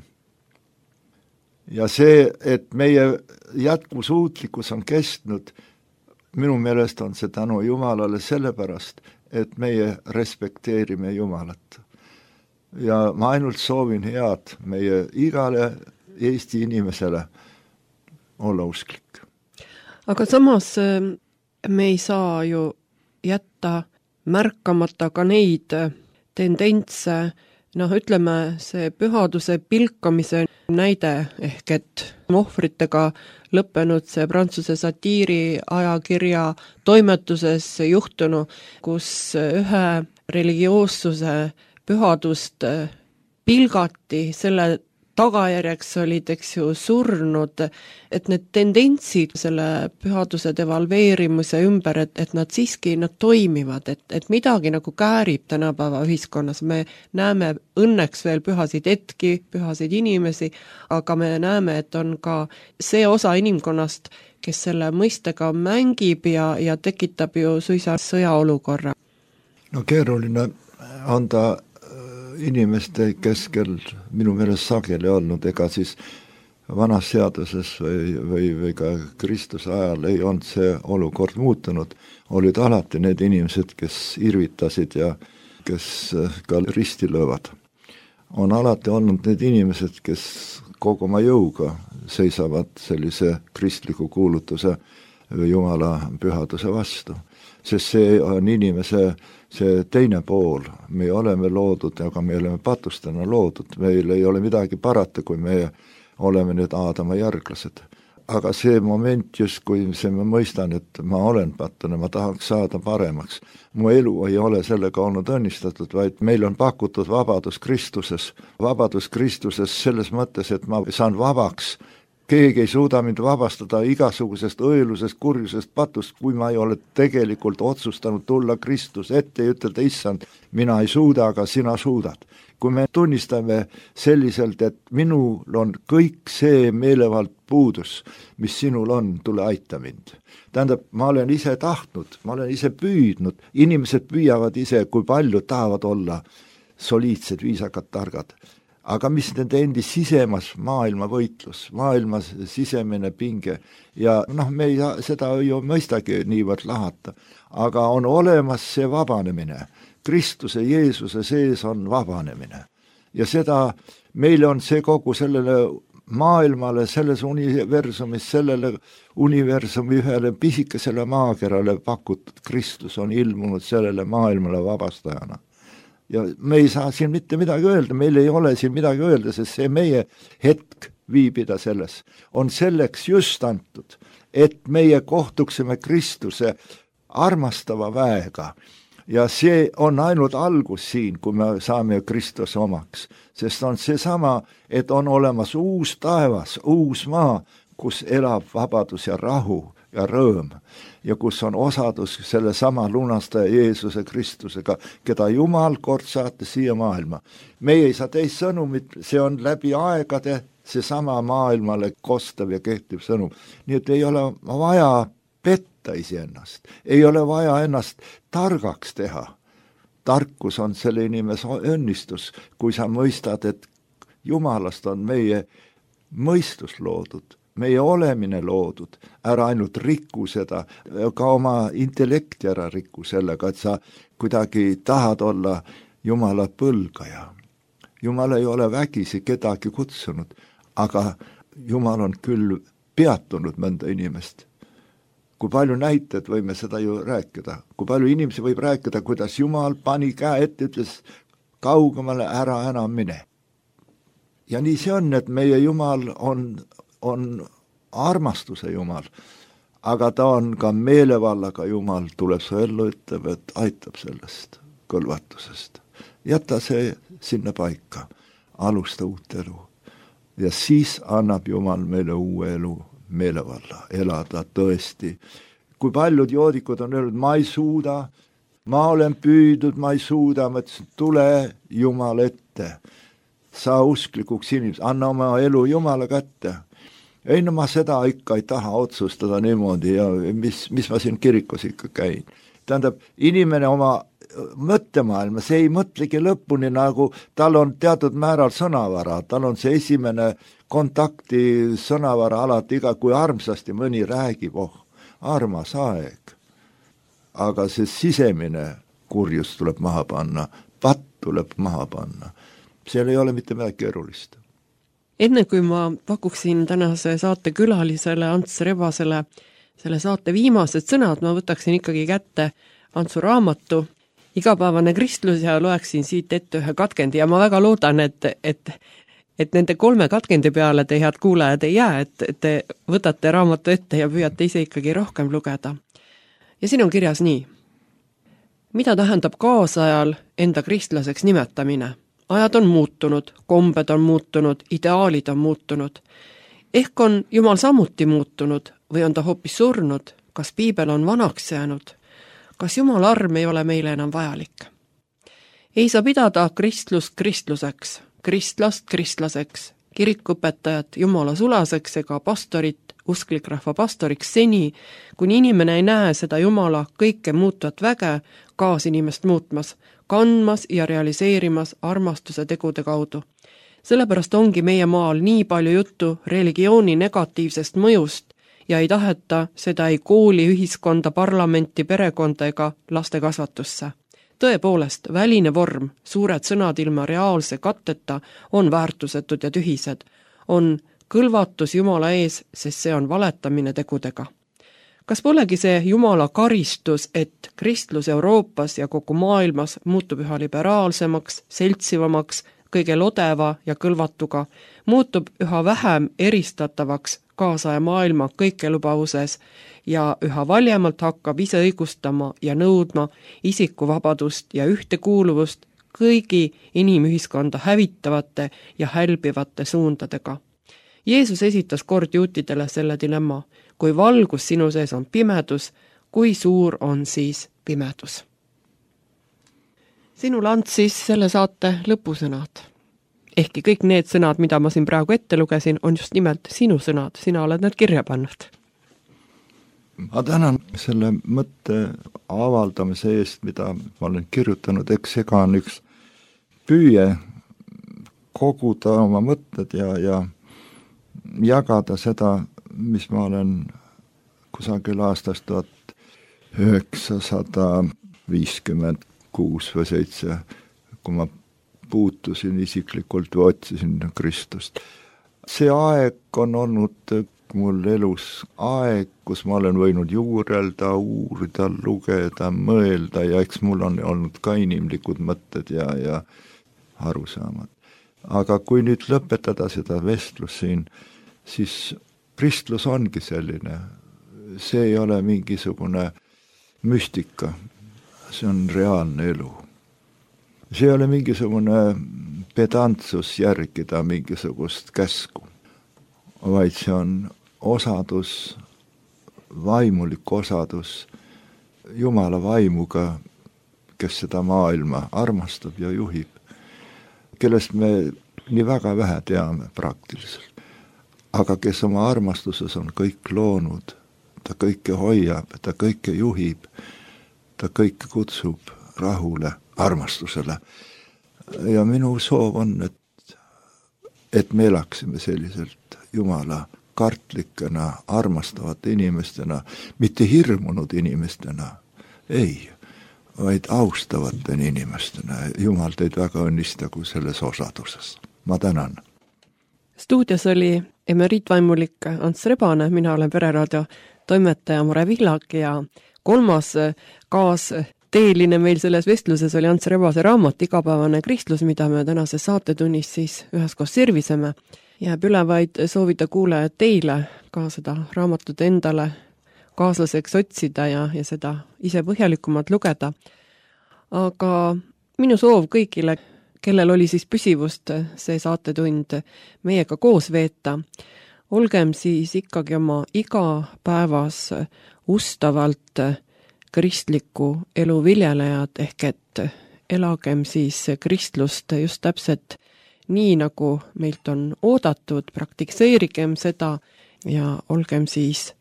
Ja see, et meie jätkusuutlikkus on kestnud, minu meelest on see tänu Jumalale sellepärast, et meie respekteerime Jumalat. Ja ma ainult soovin head meie igale Eesti inimesele olla usklik. Aga samas me ei saa ju jätta märkamata ka neid tendentse, noh, ütleme see pühaduse pilkamise näide ehk et ohvritega lõppenud see Prantsuse satiiri ajakirja toimetuses juhtunu, kus ühe religioossuse pühadust pilgati, selle tagajärjeks olid, eks ju, surnud, et need tendentsid selle pühaduse devalveerimise ümber, et, et nad siiski nad toimivad, et, et midagi nagu käärib tänapäeva ühiskonnas. Me näeme õnneks veel pühasid hetki, pühasid inimesi, aga me näeme, et on ka see osa inimkonnast, kes selle mõistega mängib ja, ja tekitab ju suisa sõjaolukorra. No keeruline on ta inimeste keskel minu meelest sageli olnud, ega siis vanas seaduses või, või, või ka Kristuse ajal ei olnud see olukord muutunud, olid alati need inimesed, kes irvitasid ja kes ka risti löövad. On alati olnud need inimesed, kes kogu oma jõuga seisavad sellise kristliku kuulutuse või Jumala pühaduse vastu. Sest see on inimese see teine pool, me oleme loodud, aga me oleme patustena loodud, meil ei ole midagi parata, kui me oleme nüüd Aadama järglased. Aga see moment just, kui see ma mõistan, et ma olen patune, ma tahaks saada paremaks. Mu elu ei ole sellega olnud õnnistatud, vaid meil on pakutud vabadus Kristuses. Vabadus Kristuses selles mõttes, et ma saan vabaks. Keegi ei suuda mind vabastada igasugusest õelusest, kurjusest, patust, kui ma ei ole tegelikult otsustanud tulla Kristus ette ja ütelda, issand, mina ei suuda, aga sina suudad. Kui me tunnistame selliselt, et minul on kõik see meelevald puudus, mis sinul on, tule aita mind. Tähendab, ma olen ise tahtnud, ma olen ise püüdnud, inimesed püüavad ise, kui palju tahavad olla soliidsed, viisakad, targad. Aga mis nende endi sisemas maailma võitlus, maailma sisemine pinge ja noh, me ei seda ju mõistagi niivõrd lahata, aga on olemas see vabanemine. Kristuse, Jeesuse sees on vabanemine ja seda meile on see kogu sellele maailmale, selles universumis, sellele universumi ühele pisikesele maakerale pakutud. Kristus on ilmunud sellele maailmale vabastajana. Ja me ei saa siin mitte midagi öelda, meil ei ole siin midagi öelda, sest see meie hetk viibida selles on selleks just antud, et meie kohtuksime Kristuse armastava väega. Ja see on ainult algus siin, kui me saame Kristuse omaks, sest on see sama, et on olemas uus taevas, uus maa, kus elab vabadus ja rahu ja rõõm ja kus on osadus selle sama lunastaja Jeesuse Kristusega, keda Jumal kord saatis siia maailma. Meie ei saa teist sõnumit, see on läbi aegade see sama maailmale kostav ja kehtiv sõnum. Nii et ei ole vaja petta iseennast, ei ole vaja ennast targaks teha. Tarkus on selle inimese õnnistus, kui sa mõistad, et Jumalast on meie mõistus loodud, meie olemine loodud, ära ainult rikku seda, ka oma intellekti ära rikku sellega, et sa kuidagi tahad olla Jumala põlgaja. Jumal ei ole vägisi kedagi kutsunud, aga Jumal on küll peatunud mõnda inimest. Kui palju näited võime seda ju rääkida, kui palju inimesi võib rääkida, kuidas Jumal pani käe ette, ütles kaugemale ära enam mine. Ja nii see on, et meie Jumal on on armastuse Jumal, aga ta on ka meelevallaga Jumal, tuleb su ellu, ütleb, et aitab sellest kõlvatusest. Jäta see sinna paika, alusta uut elu. Ja siis annab Jumal meile uue elu, meelevalla, elada tõesti. Kui paljud joodikud on öelnud, ma ei suuda, ma olen püüdnud, ma ei suuda, ma ütlesin, tule Jumal ette, sa usklikuks inimesed, anna oma elu Jumala kätte. Ei, no ma seda ikka ei taha otsustada niimoodi ja mis, mis ma siin kirikus ikka käin. Tähendab, inimene oma mõttemaailma, see ei mõtlegi lõpuni, nagu tal on teatud määral sõnavara, tal on see esimene kontakti sõnavara alati iga, kui armsasti mõni räägib, oh, armas aeg. Aga see sisemine kurjus tuleb maha panna, patt tuleb maha panna. Seal ei ole mitte midagi keerulist. Enne kui ma pakuksin tänase saate külalisele Ants Rebasele selle saate viimased sõnad, ma võtaksin ikkagi kätte Antsu raamatu Igapäevane kristlus ja loeksin siit ette ühe katkendi ja ma väga loodan, et, et, et nende kolme katkendi peale te head kuulajad ei jää, et te võtate raamatu ette ja püüate ise ikkagi rohkem lugeda. Ja siin on kirjas nii. Mida tähendab kaasajal enda kristlaseks nimetamine? Ajad on muutunud, kombed on muutunud, ideaalid on muutunud. Ehk on Jumal samuti muutunud või on ta hoopis surnud? Kas piibel on vanaks jäänud? Kas Jumala arm ei ole meile enam vajalik? Ei saa pidada kristlust kristluseks, kristlast kristlaseks, kirikuõpetajat Jumala sulaseks ega pastorit, usklik rahva pastoriks seni, kuni inimene ei näe seda Jumala kõike muutuvat väge kaas inimest muutmas, kandmas ja realiseerimas armastuse tegude kaudu. Sellepärast ongi meie maal nii palju juttu religiooni negatiivsest mõjust ja ei taheta seda ei kooli, ühiskonda, parlamenti, perekonda ega laste kasvatusse. Tõepoolest, väline vorm, suured sõnad ilma reaalse katteta on väärtusetud ja tühised. On kõlvatus Jumala ees, sest see on valetamine tegudega. Kas polegi see Jumala karistus, et kristlus Euroopas ja kogu maailmas muutub üha liberaalsemaks, seltsivamaks, kõige lodeva ja kõlvatuga, muutub üha vähem eristatavaks kaasaja maailma kõikelubavuses ja üha valjemalt hakkab ise õigustama ja nõudma isikuvabadust ja ühtekuuluvust kõigi inimühiskonda hävitavate ja hälbivate suundadega. Jeesus esitas kord juutidele selle dilemma, kui valgus sinu sees on pimedus, kui suur on siis pimedus. Sinule Ants siis selle saate lõpusõnad. Ehkki kõik need sõnad, mida ma siin praegu ette lugesin, on just nimelt sinu sõnad, sina oled need kirja pannud. Ma tänan selle mõtte avaldamise eest, mida ma olen kirjutanud, eks ega on üks püüe koguda oma mõtted ja, ja jagada seda, mis ma olen kusagil aastast tuhat üheksasada viiskümmend kuus või seitse, kui ma puutusin isiklikult või otsisin Kristust. See aeg on olnud mul elus aeg, kus ma olen võinud juurelda, uurida, lugeda, mõelda ja eks mul on olnud ka inimlikud mõtted ja, ja arusaamad. Aga kui nüüd lõpetada seda vestlus siin, siis kristlus ongi selline, see ei ole mingisugune müstika, see on reaalne elu. See ei ole mingisugune pedantsus järgida mingisugust käsku, vaid see on osadus, vaimulik osadus Jumala vaimuga, kes seda maailma armastab ja juhib, kellest me nii väga vähe teame praktiliselt. Aga kes oma armastuses on kõik loonud, ta kõike hoiab, ta kõike juhib, ta kõike kutsub rahule, armastusele. Ja minu soov on, et, et me elaksime selliselt Jumala kartlikena, armastavate inimestena, mitte hirmunud inimestena, ei, vaid austavate inimestena. Jumal teid väga õnnistagu selles osaduses. Ma tänan. Stuudios oli emeriitvaimulik Ants Rebane, mina olen Pereraadio toimetaja Mare Villak ja kolmas kaas teeline meil selles vestluses oli Ants Rebase raamat Igapäevane kristlus, mida me tänases saatetunnis siis üheskoos serviseme. Jääb üle vaid soovida kuulajad teile ka seda raamatut endale kaaslaseks otsida ja, ja seda ise põhjalikumalt lugeda. Aga minu soov kõigile, kellel oli siis püsivust see saatetund meiega koos veeta, olgem siis ikkagi oma igapäevas ustavalt kristliku elu viljelejad, ehk et elagem siis kristlust just täpselt nii, nagu meilt on oodatud, praktikseerigem seda ja olgem siis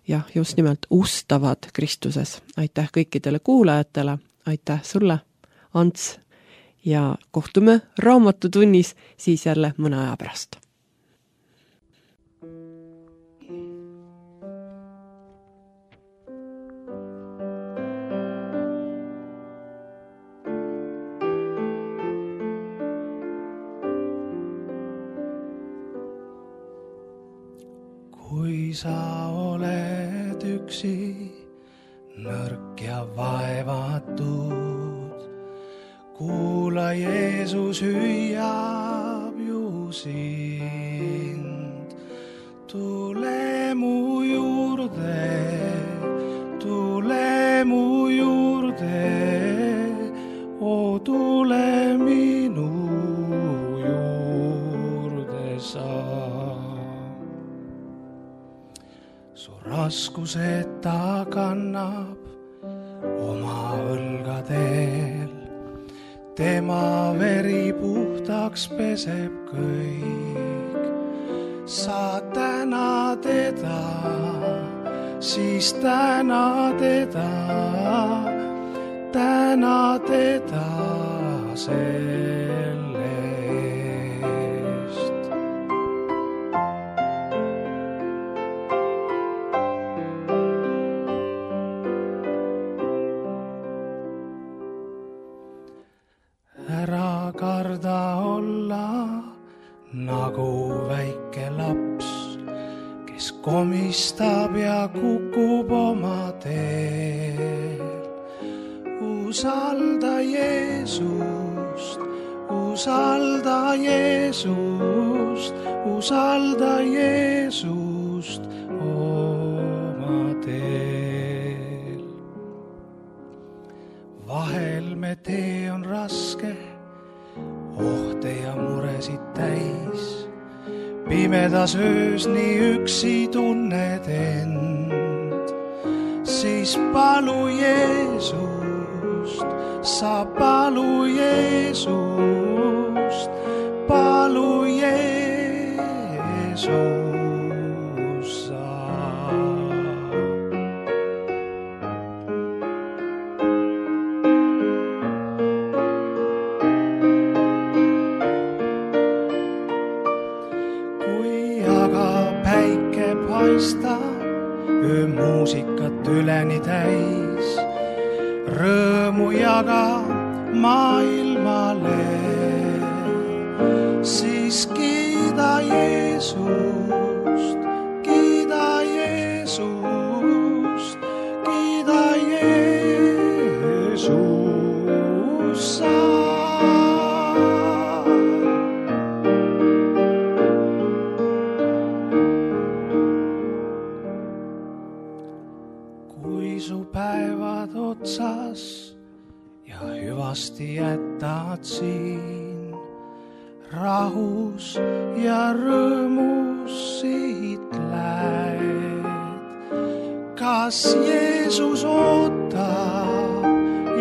jah, just nimelt ustavad Kristuses. Aitäh kõikidele kuulajatele, aitäh sulle, Ants, ja kohtume raamatutunnis siis jälle mõne aja pärast. Kui sa oled üksi, nõrk ja vaevatud, kuula, Jeesus hüüab ju sind. Tule mu juurde, tule mu juurde, o tule minu juurde sa. Su raskused ta kannab oma õlgadel, tema veri puhtaks peseb kõik. Sa täna teda, siis täna teda, täna teda selle nagu väike laps, kes komistab ja kukub oma teel. Usalda Jeesust, usalda Jeesust, usalda Jeesust oma teel. Vahel me tee on raske, ohte ja muresid täis. Pimedas öös nii üksi tunned end, siis palu Jeesust, sa palu Jeesust, palu Jeesus sa. Kui aga päike paistab, öö muusikat üleni täis, rõõmu jaga maailmale, siis kiida Jeesust, kiida Jeesust, kiida Jeesus sa. Kui su päevad otsas ja hüvasti jätad siin, rahus ja rõõmus siit lähed. Kas Jeesus ootab?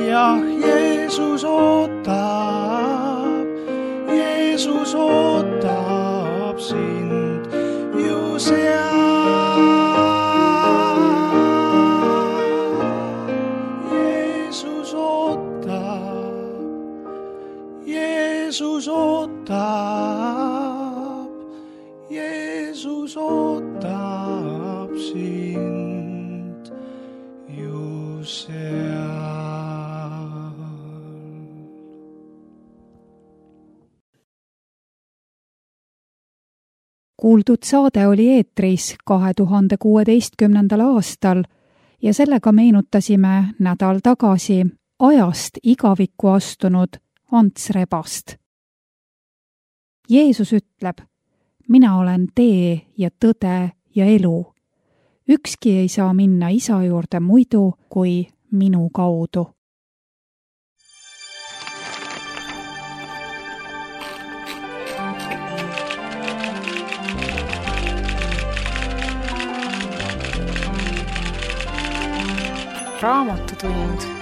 Jah, Jeesus ootab, Jeesus ootab sind ju seal. Jeesus ootab, Jeesus ootab sind ju seal. Kuuldud saade oli eetris kahe tuhande kuueteistkümnendal aastal ja sellega meenutasime nädal tagasi ajast igavikku astunud Ants Rebast. Jeesus ütleb, mina olen tee ja tõde ja elu. Ükski ei saa minna isa juurde muidu kui minu kaudu. Raamatutund.